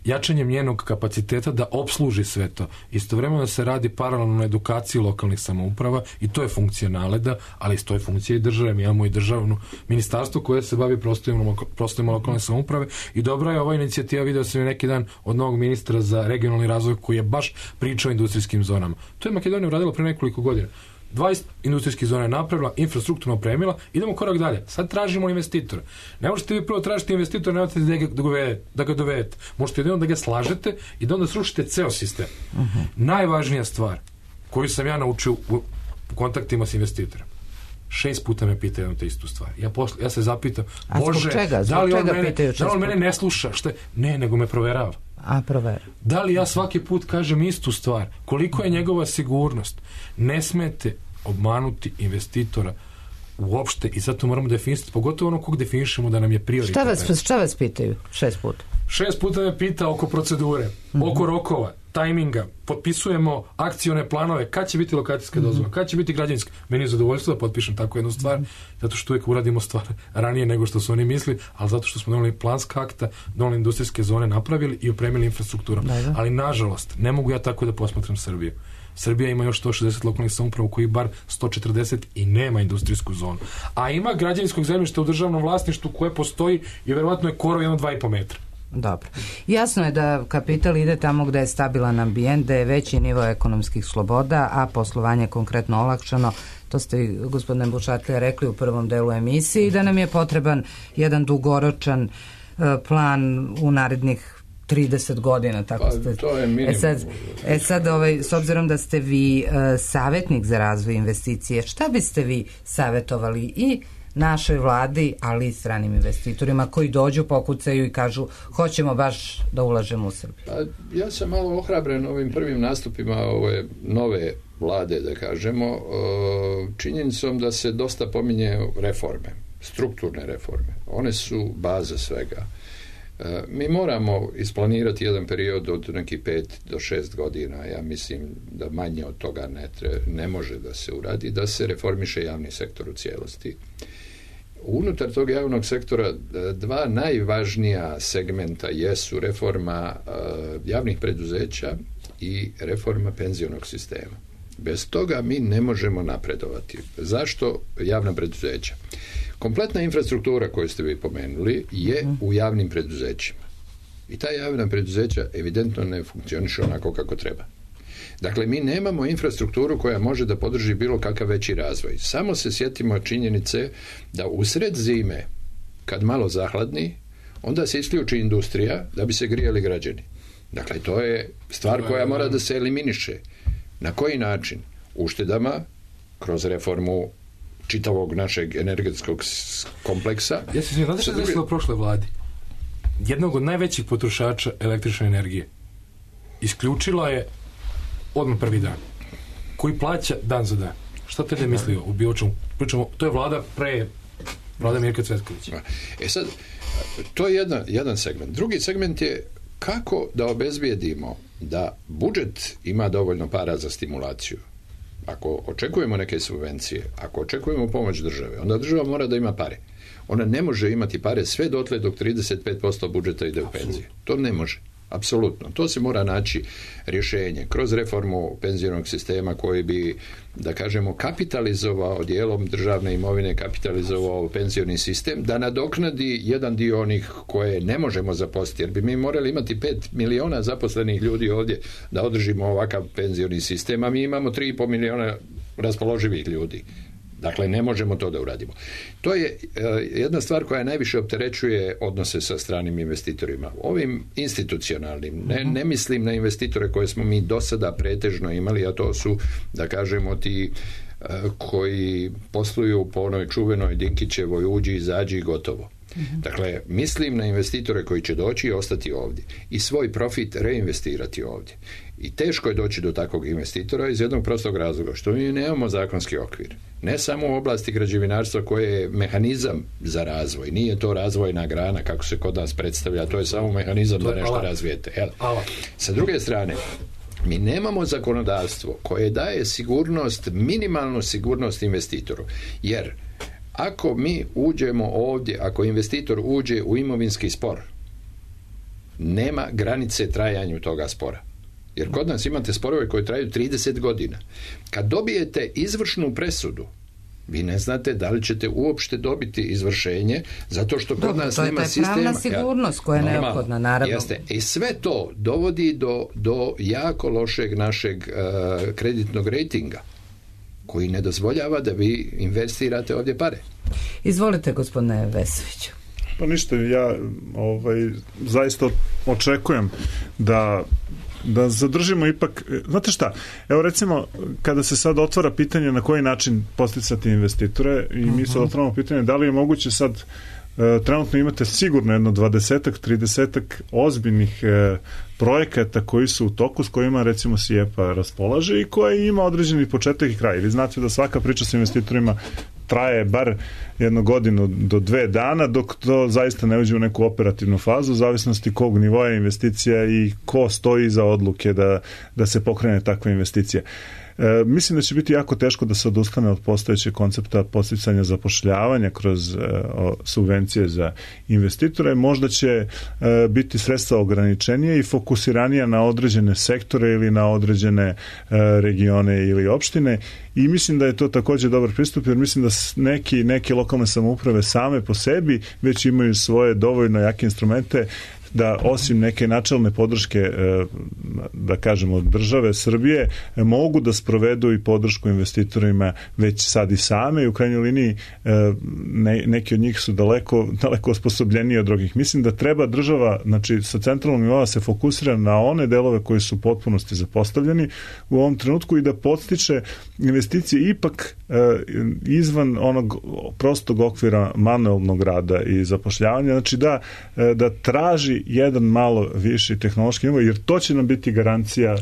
jačanjem njenog kapaciteta da opsluži sve to. Istovremeno se radi paralelno na edukaciji lokalnih samouprava i to je funkcija Naleda, ali to je funkcija i države. Mi imamo i državno ministarstvo koje se bavi prostorima lokalne samouprave i dobra je ova inicijativa, video sam je neki dan od novog ministra za regionalni razvoj koji je baš pričao o industrijskim zonama. To je Makedonija uradila pre nekoliko godina. dvadeset industrijskih zona je napravila, infrastrukturno opremila, idemo korak dalje. Sad tražimo investitora. Ne možete vi prvo tražiti investitora, ne možete da ga dovedete, da ga dovedete. Možete jedino da ga slažete i da onda srušite ceo sistem. Uh-huh. Najvažnija stvar koju sam ja naučio u kontaktima s investitorom. Šest puta me pita jednu te istu stvar. Ja, posle, ja se zapitam, Bože, čega? da li on, mene, da li on mene ne sluša? Šta je? Ne, nego me proverava. A, prover. Da li ja svaki put kažem istu stvar? Koliko je njegova sigurnost? Ne smete obmanuti investitora uopšte i zato moramo definisati, pogotovo ono kog definišemo da nam je prioritet. Šta vas, šta vas pitaju šest puta? Šest puta me pita oko procedure, mm-hmm. oko rokova, tajminga, potpisujemo akcione planove, kad će biti lokacijska dozvola, mm-hmm. kad će biti građevinska. Meni je zadovoljstvo da potpišem tako jednu stvar, mm-hmm. zato što uvijek uradimo stvar ranije nego što su oni misli, ali zato što smo doneli planska akta, doneli industrijske zone, napravili i opremili infrastrukturom. Da, ali nažalost, ne mogu ja tako da posmatram Srbiju. Srbija ima još sto šezdeset lokalnih samouprava u koji bar sto četrdeset i nema industrijsku zonu. A ima građevinskog zemljišta u državnom vlasništvu koje postoji i verovatno je korov jedno dva i po metra. Dobro. Jasno je da kapital ide tamo gde je stabilan ambijent, da je veći nivo ekonomskih sloboda, a poslovanje konkretno olakšano. To ste, gospodine Bušatlija, rekli u prvom delu emisiji, da nam je potreban jedan dugoročan uh, plan u narednih trideset godina, tako pa, ste. To je minimum. E sad, e sad ovaj, s obzirom da ste vi uh, savjetnik za razvoj investicije, šta biste vi savjetovali i našoj vladi, ali i stranim investitorima koji dođu, pokucaju i kažu hoćemo baš da ulažemo u Srbiju? Pa, ja sam malo ohrabren ovim prvim nastupima ove nove vlade, da kažemo, činjenicom da se dosta pominje reforme, strukturne reforme. One su baza svega. Mi moramo isplanirati jedan period od nekih pet do šest godina, ja mislim da manje od toga ne, tre, ne može da se uradi, da se reformiše javni sektor u cijelosti. Unutar tog javnog sektora dva najvažnija segmenta jesu reforma javnih preduzeća i reforma penzionog sistema. Bez toga mi ne možemo napredovati. Zašto javna preduzeća? Kompletna infrastruktura koju ste vi pomenuli je u javnim preduzećima. I ta javna preduzeća evidentno ne funkcioniše onako kako treba. Dakle, mi nemamo infrastrukturu koja može da podrži bilo kakav veći razvoj. Samo se sjetimo činjenice da u sred zime, kad malo zahladni, onda se isključi industrija da bi se grijali građani. Dakle, to je stvar koja mora da se eliminiše. Na koji način? Uštedama, kroz reformu čitavog našeg energetskog kompleksa. Ja se svijem, znate što je desilo u prošloj vladi? Jednog od najvećih potrošača električne energije isključila je odmah prvi dan, koji plaća dan za dan. Šta te ne mislio u bilo čemu? Pričamo, to je vlada pre vlada Mirka Cvetkovića. E sad, to je jedan, jedan segment. Drugi segment je kako da obezbijedimo da budžet ima dovoljno para za stimulaciju. Ako očekujemo neke subvencije, ako očekujemo pomoć države, onda država mora da ima pare. Ona ne može imati pare sve dotle dok trideset pet posto budžeta ide u penzije. To ne može. Apsolutno. To se mora naći rješenje kroz reformu penzionog sistema koji bi, da kažemo, kapitalizovao dijelom državne imovine, kapitalizovao penzioni sistem, da nadoknadi jedan dio onih koje ne možemo zaposliti, jer bi mi morali imati pet miliona zaposlenih ljudi ovdje da održimo ovakav penzioni sistem, a mi imamo tri i pol miliona raspoloživih ljudi. Dakle, ne možemo to da uradimo. To je uh, jedna stvar koja najviše opterećuje odnose sa stranim investitorima. Ovim institucionalnim, ne, ne mislim na investitore koje smo mi do sada pretežno imali, a to su, da kažemo, ti uh, koji posluju po onoj čuvenoj Dinkićevoj uđi, izađi i gotovo. Dakle, mislim na investitore koji će doći i ostati ovdje i svoj profit reinvestirati ovdje. I teško je doći do takvog investitora iz jednog prostog razloga, što mi nemamo zakonski okvir. Ne samo u oblasti građevinarstva koje je mehanizam za razvoj. Nije to razvojna grana kako se kod nas predstavlja, to je samo mehanizam da nešto razvijete. Jel? Sa druge strane, mi nemamo zakonodavstvo koje daje sigurnost, minimalnu sigurnost investitoru. Jer ako mi uđemo ovdje, ako investitor uđe u imovinski spor, nema granice trajanju toga spora. Jer kod nas imate sporove koji traju trideset godina. Kad dobijete izvršnu presudu, vi ne znate da li ćete uopšte dobiti izvršenje, zato što kod Dobro, nas to nema sistema. To je pravna sigurnost koja je neophodna, naravno. Jeste. I sve to dovodi do, do jako lošeg našeg uh, kreditnog rejtinga, koji ne dozvoljava da vi investirate ovdje pare. Izvolite, gospodine Vesoviću. Pa ništa, ja ovaj, zaista očekujem da da zadržimo ipak, znate šta, evo recimo kada se sad otvara pitanje na koji način posticati investitore i mi sad otvaramo pitanje da li je moguće sad e, trenutno imate sigurno jedno dvadesetak, tridesetak ozbiljnih e, projekata koji su u toku s kojima recimo SIEPA raspolaže i koje ima određeni početak i kraj. Vi znate da svaka priča sa investitorima traje bar jednu godinu do dve dana dok to zaista ne uđe u neku operativnu fazu, u zavisnosti kog nivoja investicija i ko stoji iza odluke da, da se pokrene takva investicija. E, mislim da će biti jako teško da se odustane od postojećeg koncepta podsticanja zapošljavanja kroz e, o, subvencije za investitore. Možda će e, biti sredstva ograničenije i fokusiranija na određene sektore ili na određene e, regione ili opštine i mislim da je to također dobar pristup jer mislim da neki, neke lokalne samouprave same po sebi već imaju svoje dovoljno jake instrumente da osim neke načelne podrške da kažemo države Srbije mogu da sprovedu i podršku investitorima već sad i same i u krajnjoj liniji ne, neki od njih su daleko, daleko osposobljeniji od drugih. Mislim da treba država, znači sa centralnog nivoa se fokusira na one delove koji su u potpunosti zapostavljeni u ovom trenutku i da podstiče investicije ipak izvan onog prostog okvira manuelnog rada i zapošljavanja, znači da, da traži ali jedan malo viši tehnološki nivo, jer to će nam biti garancija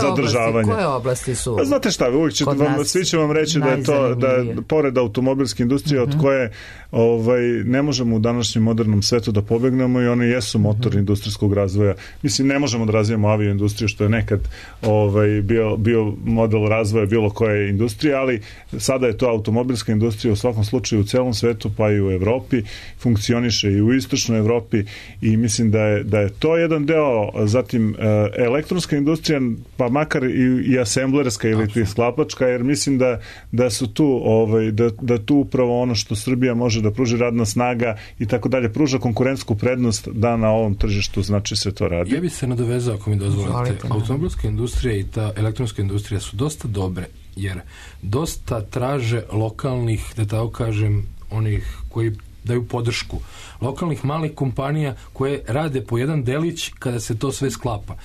zadržavanja. Koje oblasti su? A znate šta, uvijek će vam, svi će vam reći da je to, da je pored automobilske industrije uh-huh. od koje ovaj, ne možemo u današnjem modernom svetu da pobegnemo i one jesu motor uh-huh. industrijskog razvoja. Mislim, ne možemo da razvijemo avioindustriju, što je nekad ovaj, bio, bio model razvoja bilo koje industrije, ali sada je to automobilska industrija u svakom slučaju u celom svetu, pa i u Evropi, funkcioniše i u istočnoj Evropi i mislim da je, da je to jedan deo, zatim elektronska industrija, pa makar i, i asemblerska ili ti sklapačka, jer mislim da, da su tu ovaj, da, da tu upravo ono što Srbija može da pruži, radna snaga i tako dalje, pruža konkurentsku prednost da na ovom tržištu znači se to radi. Ja bih se nadovezao, ako mi dozvolite. Automobilska industrija i ta elektronska industrija su dosta dobre, jer dosta traže lokalnih, da tako kažem, onih koji daju podršku. Lokalnih malih kompanija koje rade po jedan delić kada se to sve sklapa.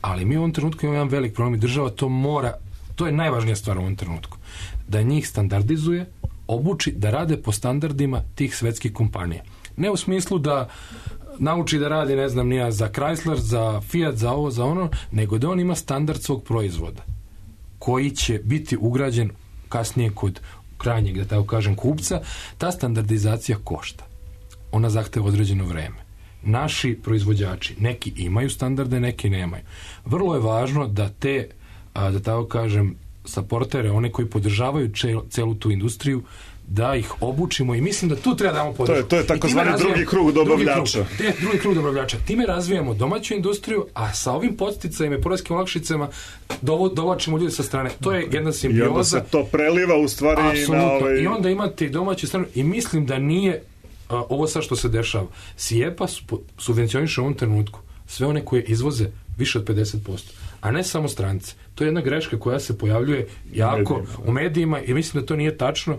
Ali mi u ovom trenutku imamo jedan velik problem i država to mora, to je najvažnija stvar u ovom trenutku, da njih standardizuje, obuči da rade po standardima tih svetskih kompanija. Ne u smislu da nauči da radi, ne znam, nija za Chrysler, za Fiat, za ovo, za ono, nego da on ima standard svog proizvoda koji će biti ugrađen kasnije kod krajnjeg, da tako kažem, kupca. Ta standardizacija košta. Ona zahteva određeno vreme. Naši proizvođači, neki imaju standarde, neki nemaju. Vrlo je važno da te, da tako kažem, saportere, one koji podržavaju celu tu industriju, da ih obučimo i mislim da tu treba damo podršku. To je, to je takozvani drugi krug dobavljača. Drugi krug, drugi krug dobavljača. Time razvijamo domaću industriju, a sa ovim podsticajima i poreskim olakšicama dovlačimo ljudi sa strane. To je jedna simbioza. I onda se to preliva u stvari apsolutno. Na ovaj... I onda imate i domaću stranu i mislim da nije a, ovo sad što se dešava. SIEPA su, subvencioniše u ovom trenutku sve one koje izvoze više od pedeset posto, a ne samo strance. To je jedna greška koja se pojavljuje jako medijima, u medijima i mislim da to nije tačno.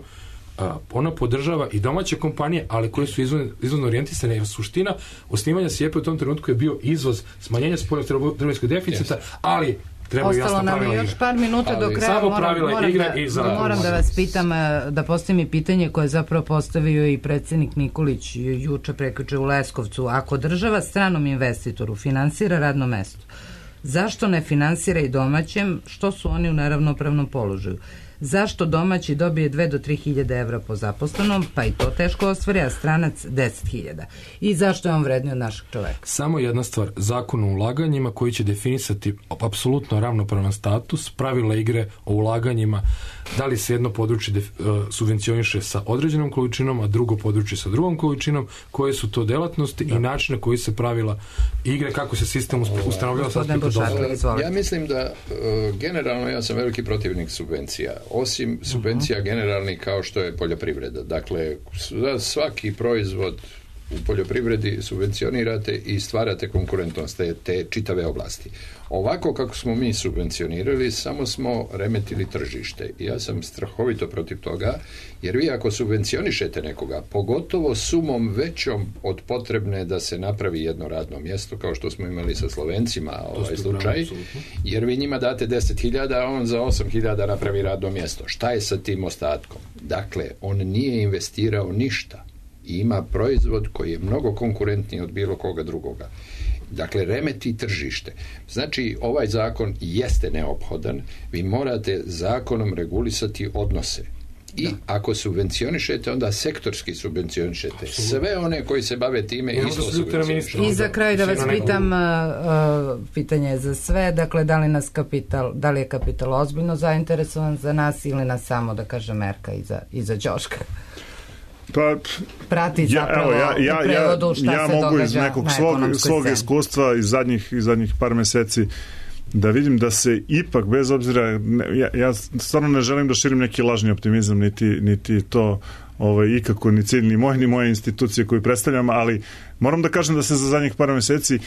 Uh, ona podržava i domaće kompanije, ali koje su izvozno, izvozno orijentisane, jer suština osnivanja SIEPA u tom trenutku je bio izvoz, smanjenje spoljnotrgovinskog deficita, yes. ali treba jasno pravila igre. Ostalo nam još par minuta do kraja. Samo pravila moram, igre da, i za... Moram da vas pitam, da postavim i pitanje koje je zapravo postavio i predsjednik Nikolić juče prekjuče u Leskovcu. Ako država stranom investitoru finansira radno mesto, zašto ne finansira i domaćem, što su oni u neravnopravnom položaju? Zašto domaći dobije dve do tri hiljade evra po zaposlenom, pa i to teško ostvari, a stranac deset hiljada? I zašto je on vredniji od našeg čoveka? Samo jedna stvar, zakon o ulaganjima koji će definisati apsolutno ravnopravan status, pravila igre o ulaganjima, da li se jedno područje def, uh, subvencioniše sa određenom količinom, a drugo područje sa drugom količinom, koje su to delatnosti da. I načine koji se pravila igre, kako se sistem ustanovljava sa aspekta dozvola. Ja mislim da uh, generalno ja sam veliki protivnik subvencija. Osim subvencija uh-huh. generalnih kao što je poljoprivreda. Dakle, svaki proizvod u poljoprivredi subvencionirate i stvarate konkurentnost te, te čitave oblasti. Ovako kako smo mi subvencionirali, samo smo remetili tržište. I ja sam strahovito protiv toga, jer vi ako subvencionišete nekoga, pogotovo sumom većom od potrebne da se napravi jedno radno mjesto, kao što smo imali sa Slovencima ovaj slučaj, jer vi njima date deset hiljada, a on za osam hiljada napravi radno mjesto. Šta je sa tim ostatkom? Dakle, on nije investirao ništa. I ima proizvod koji je mnogo konkurentniji od bilo koga drugoga. Dakle, remeti tržište. Znači, ovaj zakon jeste neophodan. Vi morate zakonom regulisati odnose. I da. Ako subvencionišete, onda sektorski subvencionišete. Sve one koji se bave time ja, isto subvencionišete. I za kraj da vas pitam, uh, pitanje je za sve, dakle, da li nas kapital, da li je kapital ozbiljno zainteresovan za nas ili nas samo, da kaže Merka i za, i za Ćoška? Pa, prati zapravo ja, ja, u prevodu šta ja, se ja mogu događa iz nekog na svog, svog iskustva iz zadnjih, iz zadnjih par meseci da vidim da se ipak, bez obzira, ja, ja stvarno ne želim da širim neki lažni optimizam, niti, niti to ovaj, ikako ni cilj, ni moj, ni moje institucije koju predstavljam, ali moram da kažem da se za zadnjih par meseci e,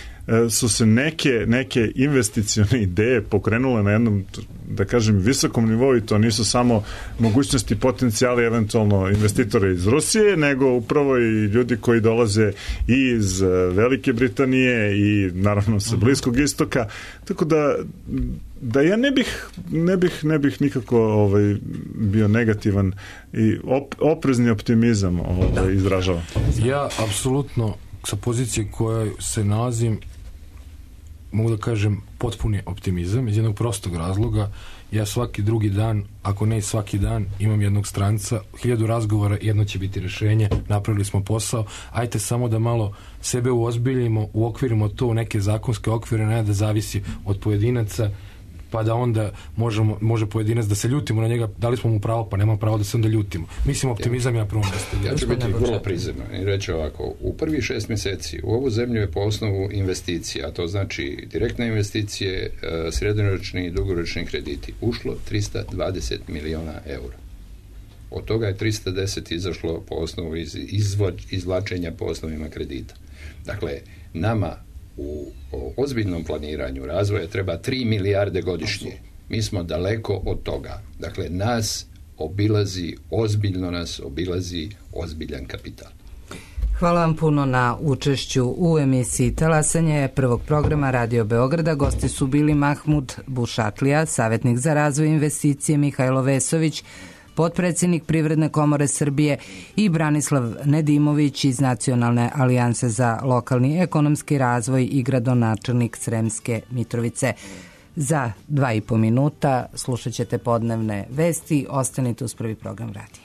su se neke, neke investicione ideje pokrenule na jednom, da kažem, visokom nivou, i to nisu samo mogućnosti, potencijali eventualno investitora iz Rusije, nego upravo i ljudi koji dolaze i iz Velike Britanije i naravno sa Bliskog istoka, tako da da ja ne bih ne bih, ne bih nikako ovaj, bio negativan i op, oprezni optimizam ovaj, izražavam. Ja apsolutno sa pozicije koje se nalazim, mogu da kažem, potpuni optimizam iz jednog prostog razloga. Ja svaki drugi dan, ako ne i svaki dan, imam jednog stranca, hiljadu razgovora, jedno će biti rešenje, napravili smo posao, ajte samo da malo sebe uozbiljimo, uokvirimo to u neke zakonske okvire, ne da zavisi od pojedinaca, pa da onda možemo, može pojedinac da se ljutimo na njega, dali smo mu pravo, pa nema pravo da se onda ljutimo. Mislim, optimizam je na prvom mjestu. Ja ću biti vrlo prizeman i reći ovako, u prvih šest mjeseci u ovu zemlju je po osnovu investicija, a to znači direktne investicije, srednjoročni i dugoročni krediti, ušlo trista dvadeset miliona eura. Od toga je trista deset izašlo po osnovu iz, izvo, izvlačenja po osnovima kredita. Dakle, nama u ozbiljnom planiranju razvoja treba tri milijarde godišnje. Mi smo daleko od toga. Dakle, nas obilazi, ozbiljno nas obilazi ozbiljan kapital. Hvala vam puno na učešću u emisiji Talasanje prvog programa Radio Beograda. Gosti su bili Mahmud Bušatlija, savjetnik za razvoj investicije, Mihajlo Vesović, potpredsjednik Privredne komore Srbije, i Branislav Nedimović iz Nacionalne alijanse za lokalni ekonomski razvoj i gradonačelnik Sremske Mitrovice. Za dva i po minuta slušat ćete podnevne vesti. Ostanite uz prvi program radija.